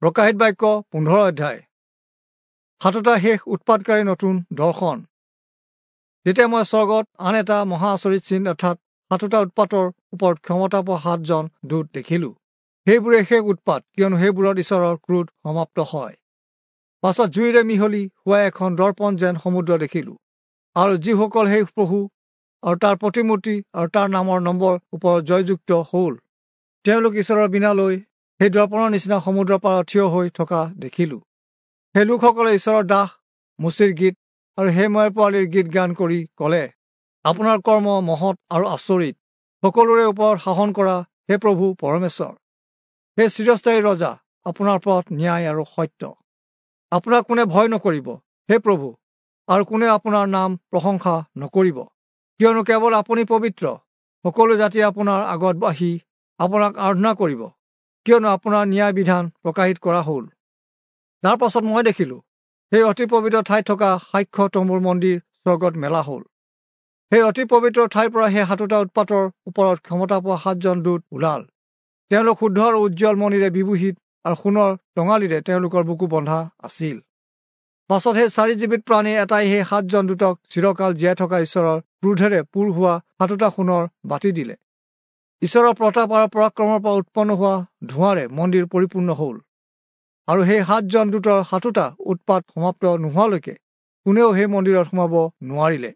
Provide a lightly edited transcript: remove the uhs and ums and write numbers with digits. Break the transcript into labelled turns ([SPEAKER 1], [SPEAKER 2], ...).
[SPEAKER 1] প্ৰকাশিত বাক্য 15 অধ্যায়। সাতোটা শেষ উৎপাতকাৰী নতুন দৰ্শন। তেতিয়া মই স্বৰ্গত আন এটা মহা আচৰিত চিন অৰ্থাৎ সাতোটা উৎপাতৰ ওপৰত ক্ষমতা পোৱা সাতজন দূত দেখিলো। সেইবোৰে শেষ উৎপাত, কিয়নো সেইবোৰত ঈশ্বৰৰ ক্ৰোধ সমাপ্ত হয়। পাছত জুইৰে মিহলি হোৱা এখন দৰ্পণ যেন সমুদ্ৰ দেখিলো, আৰু যিসকল সেই পশু আৰু তাৰ প্ৰতিমূৰ্তি আৰু তাৰ নামৰ নম্বৰ ওপৰত জয়যুক্ত হ'ল, তেওঁলোক ঈশ্বৰৰ বীণালৈ সেই দৰ্পণৰ নিচিনা সমুদ্ৰৰ পাৰত থিয় হৈ থকা দেখিলো। সেই লোকসকলে ঈশ্বৰৰ দাস মোচিৰ গীত আৰু সেই ময়ৰ পোৱালীৰ গীত গান কৰি ক'লে, আপোনাৰ কৰ্ম মহৎ আৰু আচৰিত, সকলোৰে ওপৰত শাসন কৰা হে প্ৰভু পৰমেশ্বৰ, হে চিৰস্থায়ী ৰজা, আপোনাৰ পথ ন্যায় আৰু সত্য। আপোনাক কোনে ভয় নকৰিব হে প্ৰভু, আৰু কোনে আপোনাৰ নাম প্ৰশংসা নকৰিব? কিয়নো কেৱল আপুনি পবিত্ৰ, সকলো জাতিয়ে আপোনাৰ আগত আহি আপোনাক আৰাধনা কৰিব, কিয়নো আপোনাৰ ন্যায় বিধান প্ৰকাশিত কৰা হ'ল। তাৰ পাছত মই দেখিলোঁ, সেই অতি পবিত্ৰ ঠাইত থকা সাক্ষ্য তম্বুৰ মন্দিৰ স্বৰ্গত মেলা হ'ল। সেই অতি পবিত্ৰ ঠাইৰ পৰা সেই সাতোটা উৎপাতৰ ওপৰত ক্ষমতা পোৱা সাতজন দূত ওলাল। তেওঁলোক শুদ্ধ আৰু উজ্জ্বল মণিৰে বিভূষিত আৰু সোণৰ টঙালিৰে তেওঁলোকৰ বুকু বন্ধা আছিল। পাছত সেই চাৰি জীৱিত প্ৰাণী এটাই সেই সাতজন দূতক চিৰকাল জীয়াই থকা ঈশ্বৰৰ ক্ৰোধেৰে পূৰ হোৱা সাতোটা সোণৰ বাতি দিলে। ঈশ্বৰৰ প্ৰতাপ আৰু পৰাক্ৰমৰ পৰা উৎপন্ন হোৱা ধোঁৱাৰে মন্দিৰ পৰিপূৰ্ণ হ'ল, আৰু সেই সাতজন দূতৰ সাতোটা উৎপাত সমাপ্ত নোহোৱালৈকে কোনেও সেই মন্দিৰত সোমাব নোৱাৰিলে।